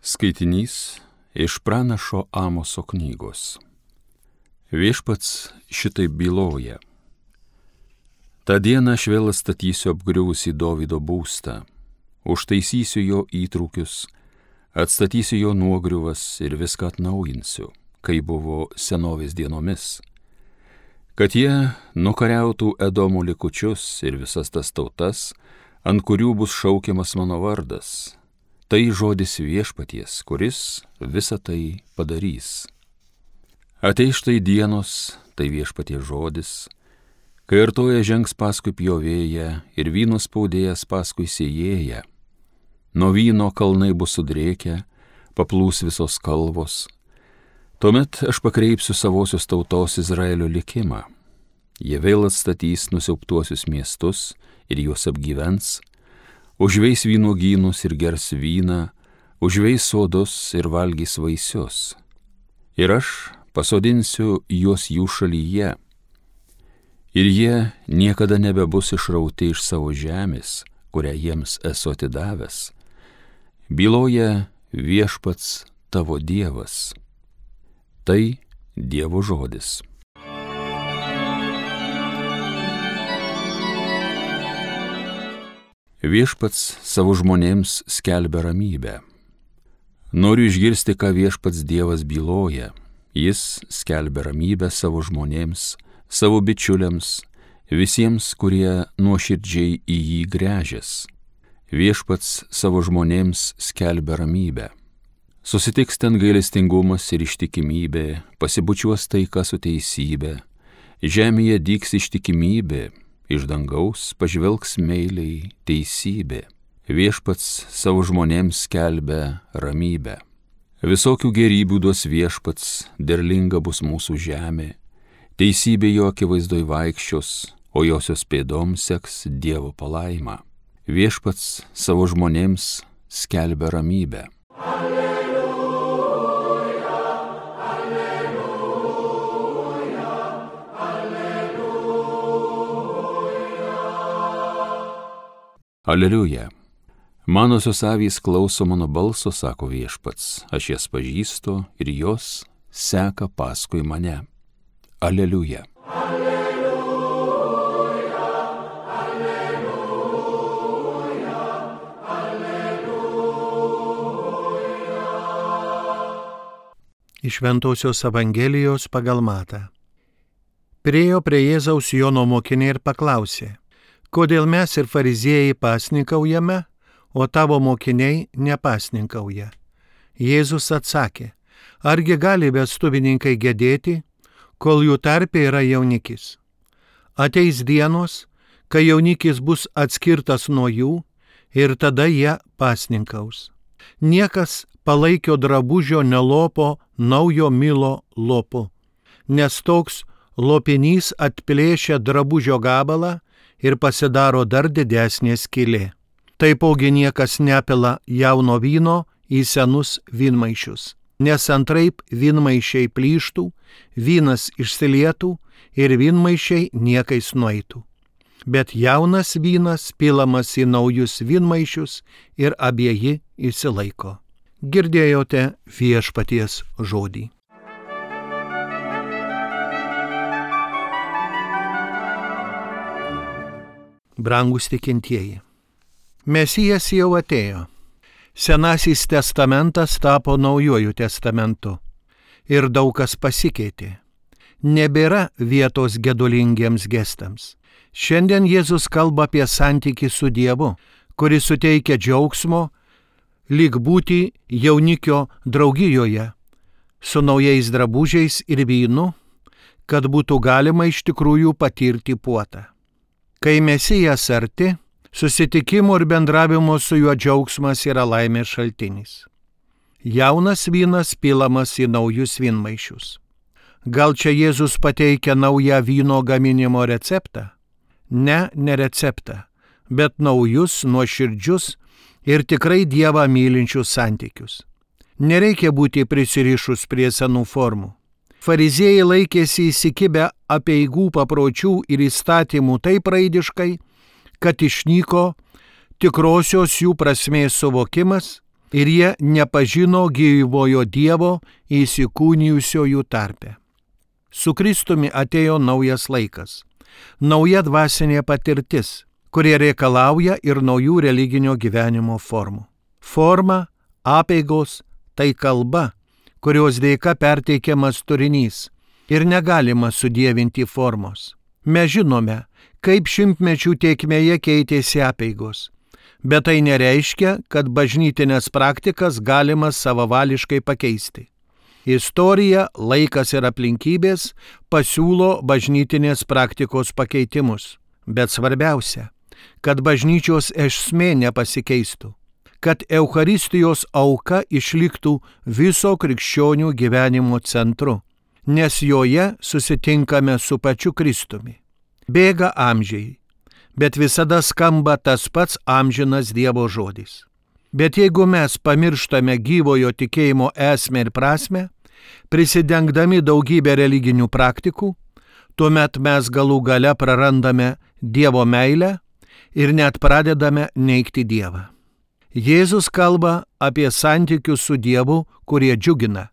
Skaitinys iš pranašo Amoso knygos. Viešpats šitaip byloja. Ta dieną aš vėl statysiu apgriuvusį Dovydo būstą, užtaisysiu jo įtrūkius, atstatysiu jo nuogriuvas ir viską atnaujinsiu, kai buvo senovės dienomis, kad jie nukariautų Edomo likučius ir visas tas tautas, ant kurių bus šaukiamas mano vardas. Tai žodis viešpaties, kuris visą tai padarys. Ateis štai dienos, tai viešpaties žodis, kai artoja žengs paskui pjovėją ir vyno spaudėjas paskui sėjėją. Nuo vyno kalnai bus sudrėkę, paplūs visos kalvos. Tuomet aš pakreipsiu savosios tautos Izraelio likimą. Jie vėl atstatys nusiaubtuosius miestus ir juos apgyvens, užveis vynuogynus ir gers vyną, užveis sodus ir valgys vaisius. Ir aš pasodinsiu juos jų šalyje, ir jie niekada nebebus išrauti iš savo žemės, kurią jiems esu atidavęs. Byloja viešpats tavo Dievas. Tai Dievo žodis. Viešpats savo žmonėms skelbia ramybę. Noriu išgirsti, ką viešpats Dievas byloja. Jis skelbia ramybę savo žmonėms, savo bičiuliams, visiems, kurie nuoširdžiai į jį gręžias. Viešpats savo žmonėms skelbia ramybę. Susitiks ten gailestingumas ir ištikimybė, pasibučiuos taika su teisybė, žemėje dygs ištikimybė, iš dangaus pažvelgs meiliai teisybė. Viešpats savo žmonėms skelbia ramybę. Visokių gerybių duos viešpats, derlinga bus mūsų žemė. Teisybė jo akivaizdoj vaikščios, o josios pėdoms seks Dievo palaima. Viešpats savo žmonėms skelbia ramybę. Aleliuja. Manosios avys klauso mano balso, sako viešpats, aš jas pažįstu ir jos seka paskui mane. Aleliuja. Aleliuja, aleliuja, aleliuja. Iš Šventosios Evangelijos pagal Matą. Priėjo prie Jėzaus Jono mokiniai ir paklausė: kodėl mes ir fariziejai pasninkaujame, o tavo mokiniai nepasninkauja? Jėzus atsakė: argi gali vestuvininkai gedėti, kol jų tarpe yra jaunikis? Ateis dienos, kai jaunikis bus atskirtas nuo jų, ir tada jie pasninkaus. Niekas palaikio drabužio nelopo naujo milo lopu, nes toks lopinys atplėšia drabužio gabalą ir pasidaro dar didesnė skylė. Taipogi niekas nepila jauno vyno į senus vynmaišius, nes antraip vynmaišiai plyštų, vynas išsilietų ir vynmaišiai niekais nueitų. Bet jaunas vynas pilamas į naujus vynmaišius ir abieji išsilaiko. Girdėjote viešpaties žodį. Brangūs tikintieji, Mesijas jau atėjo. Senasis testamentas tapo naujuoju testamentu ir daug kas pasikeitė. Nebėra vietos gedulingiems gestams. Šiandien Jėzus kalba apie santykį su Dievu, kuris suteikia džiaugsmo, lyg būti jaunikio draugijoje, su naujais drabužiais ir vynu, kad būtų galima iš tikrųjų patirti puotą. Kai Mesijas arti, susitikimo ir bendravimo su juo džiaugsmas yra laimės šaltinis. Jaunas vynas pilamas į naujus vynmaišius. Gal čia Jėzus pateikia naują vyno gaminimo receptą? Ne receptą, bet naujus, nuoširdžius ir tikrai Dievą mylinčius santykius. Nereikia būti prisirišus prie senų formų. Fariziejai laikėsi įsikibę apeigų papročių ir įstatymų taip raidiškai, kad išnyko tikrosios jų prasmės suvokimas ir jie nepažino gyvojo Dievo įsikūnijusiojų tarpe. Su Kristumi atėjo naujas laikas, nauja dvasinė patirtis, kurie reikalauja ir naujų religinio gyvenimo formų. Forma, apeigos – tai kalba, kurios dėka perteikiamas turinys ir negalima sudievinti formos. Mes žinome, kaip šimtmečių tėkmėje keitėsi apeigos, bet tai nereiškia, kad bažnytinės praktikas galima savavališkai pakeisti. Istorija, laikas ir aplinkybės pasiūlo bažnytinės praktikos pakeitimus, bet svarbiausia, kad bažnyčios esmė nepasikeistų, kad Eucharistijos auka išliktų viso krikščionių gyvenimo centru, nes joje susitinkame su pačiu Kristumi. Bėga amžiai, bet visada skamba tas pats amžinas Dievo žodis. Bet jeigu mes pamirštame gyvojo tikėjimo esmę ir prasmę, prisidengdami daugybę religinių praktikų, tuomet mes galų gale prarandame Dievo meilę ir net pradedame neigti Dievą. Jėzus kalba apie santykius su Dievu, kurie džiugina,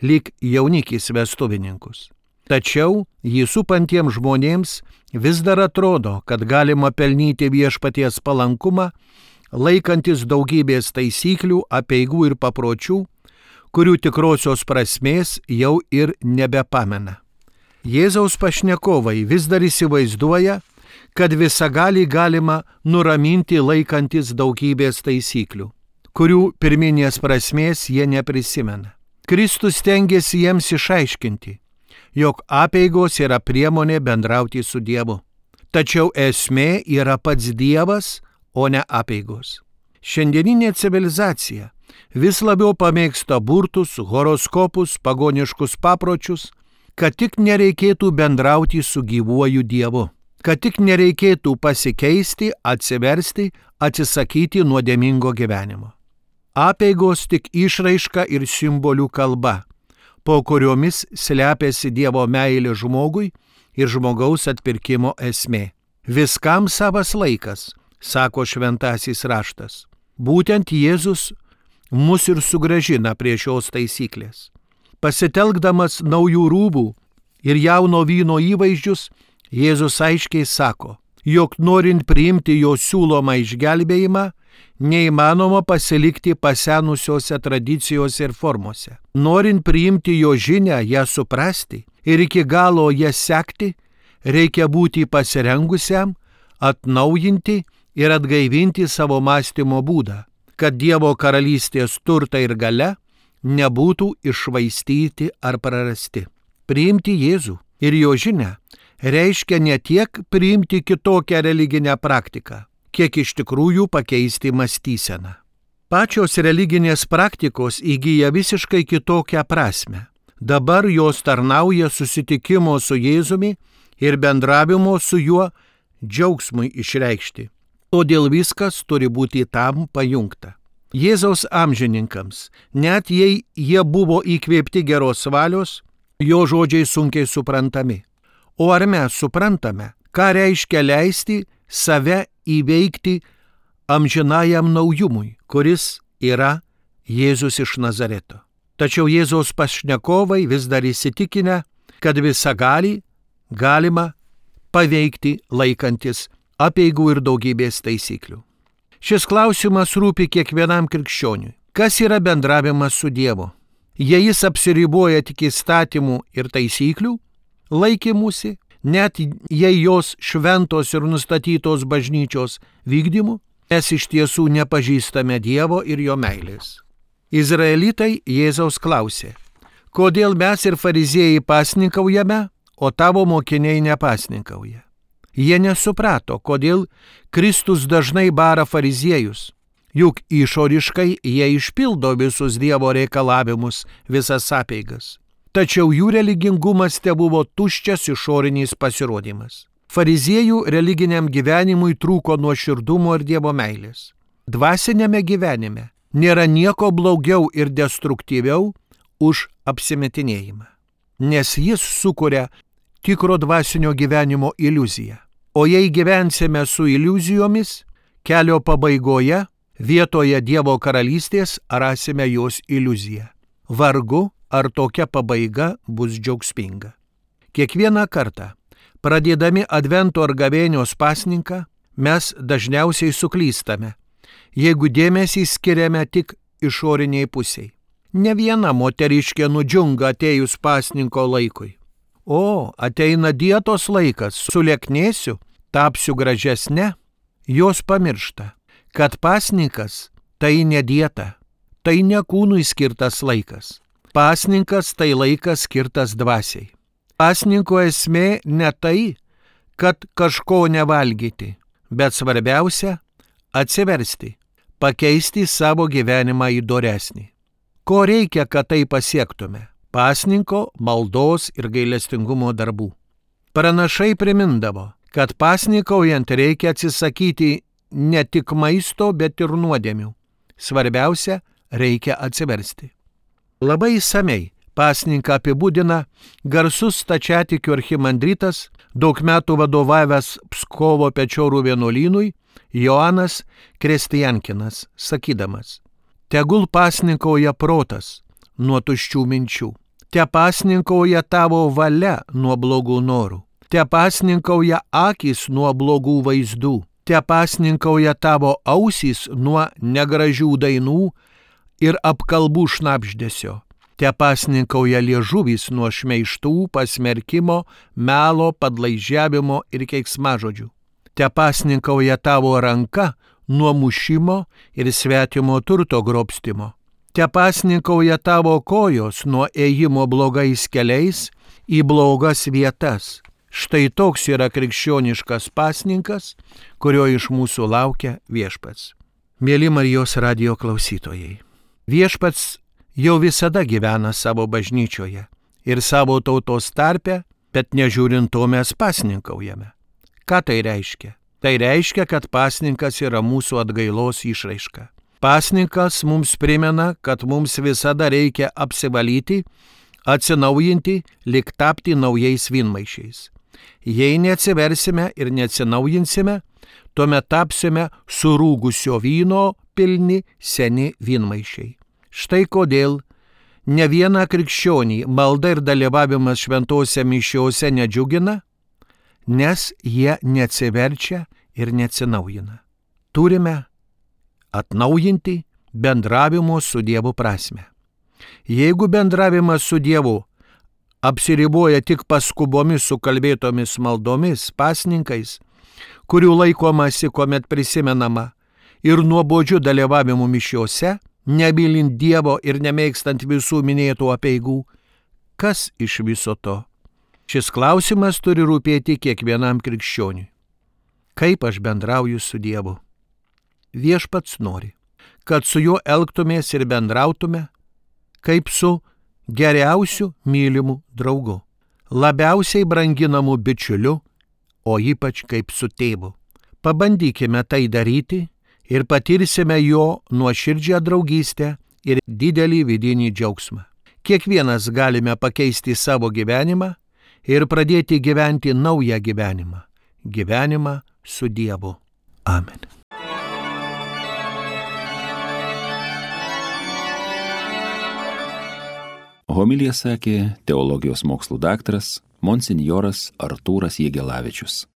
lyg jaunikis vestuvininkus. Tačiau jį supantiems žmonėms vis dar atrodo, kad galima pelnyti viešpaties palankumą, laikantis daugybės taisyklių, apeigų ir papročių, kurių tikrosios prasmės jau ir nebepamena. Jėzaus pašnekovai vis dar įsivaizduoja, kad visagalį galima nuraminti laikantis daugybės taisyklių, kurių pirminės prasmės jie neprisimena. Kristus stengiasi jiems išaiškinti, jog apeigos yra priemonė bendrauti su Dievu. Tačiau esmė yra pats Dievas, o ne apeigos. Šiandieninė civilizacija vis labiau pamėgsta burtus, horoskopus, pagoniškus papročius, kad tik nereikėtų bendrauti su gyvuoju Dievu, kad tik nereikėtų pasikeisti, atsiversti, atsisakyti nuodėmingo gyvenimo. Apeigos tik išraiška ir simbolių kalba, po kuriomis slepiasi Dievo meilė žmogui ir žmogaus atpirkimo esmė. Viskam savas laikas, sako šventasis raštas. Būtent Jėzus mus ir sugrąžina prie šios taisyklės. Pasitelkdamas naujų rūbų ir jauno vyno įvaizdžius, Jėzus aiškiai sako, jog norint priimti jo siūlomą išgelbėjimą, neįmanoma pasilikti pasenusiose tradicijose ir formose. Norint priimti jo žinią, ją suprasti ir iki galo ją sekti, reikia būti pasirengusiam, atnaujinti ir atgaivinti savo mąstymo būdą, kad Dievo karalystės turtai ir galia nebūtų iššvaistyti ar prarasti. Priimti Jėzų ir jo žinią reiškia ne tiek priimti kitokią religinę praktiką, kiek iš tikrųjų pakeisti mąstyseną. Pačios religinės praktikos įgyja visiškai kitokią prasme. Dabar jos tarnauja susitikimo su Jėzumi ir bendravimo su juo džiaugsmui išreikšti. Todėl viskas turi būti tam pajungta. Jėzaus amžininkams, net jei jie buvo įkvėpti geros valios, jo žodžiai sunkiai suprantami. O ar mes suprantame, ką reiškia leisti save įveikti amžinajam naujumui, kuris yra Jėzus iš Nazareto? Tačiau Jėzaus pašnekovai vis dar įsitikinę, kad visagalį galima paveikti laikantis apeigų ir daugybės taisyklių. Šis klausimas rūpi kiekvienam krikščioniui. Kas yra bendravimas su Dievu? Jei jis apsiriboja tik įstatymų ir taisyklių laikymusi, net jei jos šventos ir nustatytos bažnyčios vykdymu, mes iš tiesų nepažįstame Dievo ir jo meilės. Izraelitai Jėzaus klausė, kodėl mes ir fariziejai pasninkaujame, o tavo mokiniai nepasninkauja. Jie nesuprato, kodėl Kristus dažnai bara fariziejus, juk išoriškai jie išpildo visus Dievo reikalavimus, visas apeigas. Tačiau jų religingumas tebuvo tuščias išorinis pasirodymas. Fariziejų religiniam gyvenimui trūko nuoširdumo ir Dievo meilės. Dvasinėme gyvenime nėra nieko blogiau ir destruktyviau už apsimetinėjimą, nes jis sukuria tikro dvasinio gyvenimo iliuziją. O jei gyvensime su iliuzijomis, kelio pabaigoje Vietoje Dievo karalystės rasime jos iliuziją. Vargu, ar tokia pabaiga bus džiaugsminga. Kiekvieną kartą, pradėdami Advento ar Gavėnios pasninką, mes dažniausiai suklystame, jeigu dėmesį skiriame tik išoriniai pusiai. Ne viena moteriškė nudžiunga atėjus pasninko laikui. O, ateina dietos laikas, sulieknėsiu, tapsiu gražesne. Jos pamiršta, kad pasninkas tai ne dieta, tai ne kūnui skirtas laikas. Pasninkas tai laikas skirtas dvasiai. Pasninko esmė ne tai, kad kažko nevalgyti, bet svarbiausia – atsiversti, pakeisti savo gyvenimą į doresnį. Ko reikia, kad tai pasiektume? Pasninko, maldos ir gailestingumo darbų. Pranašai primindavo, kad pasnikaujant reikia atsisakyti ne tik maisto, bet ir nuodėmių. Svarbiausia – reikia atsiversti. Labai išsamei pasninką apibūdina garsus stačiatikių archimandritas, daug metų vadovavęs Pskovo Pečorų vienuolynui, Joanas Kristijankinas, sakydamas: tegul pasninkauja protas nuo tuščių minčių, te pasninkauja tavo valia nuo blogų norų, te pasninkauja akys nuo blogų vaizdų, te pasninkauja tavo ausys nuo negražių dainų ir apkalbų šnabždesio, te pasninkauja liežuvis nuo šmeižtų, pasmerkimo, melo, padlaižiavimo ir keiksmažodžių, te pasninkauja tavo ranka nuo mušimo ir svetimo turto grobstimo, te pasninkauja tavo kojos nuo ėjimo blogais keliais į blogas vietas. Štai toks yra krikščioniškas pasninkas, kurio iš mūsų laukia Viešpats. Mieli Marijos radijo klausytojai, Viešpats jau visada gyvena savo bažnyčioje ir savo tautos tarpe, bet nežiūrint to mes pasninkaujame. Ką tai reiškia? Tai reiškia, kad pasninkas yra mūsų atgailos išraiška. Pasninkas mums primena, kad mums visada reikia apsivalyti, atsinaujinti, lyg tapti naujais vynmaišiais. Jei neatsiversime ir neatsinaujinsime, tuomet tapsime surūgusio vyno pilni seni vynmaišiai. Štai kodėl ne vieną krikščionį malda ir dalyvavimas šventose mišiose nedžiugina, nes jie neatsiverčia ir neatsinaujina. Turime atnaujinti bendravimo su Dievu prasmę. Jeigu bendravimas su Dievu apsiriboja tik paskubomis sukalbėtomis maldomis, pasninkais, kurių laikomasi, kuomet prisimenama, ir nuobodžiu dalyvavimu mišiose, nemylint Dievo ir nemėgstant visų minėtų apeigų, kas iš viso to? Šis klausimas turi rūpėti kiekvienam krikščioniui. Kaip aš bendrauju su Dievu? Viešpats nori, kad su juo elgtumės ir bendrautume, kaip su geriausiu mylimu draugu, labiausiai branginamu bičiuliu, o ypač kaip su tėvu. Pabandykime tai daryti ir patirsime jo nuoširdžią draugystę ir didelį vidinį džiaugsmą. Kiekvienas galime pakeisti savo gyvenimą ir pradėti gyventi naują gyvenimą. Gyvenimą su Dievu. Amen. Homiliją sakė teologijos mokslų daktaras monsinjoras Artūras Jegelavičius.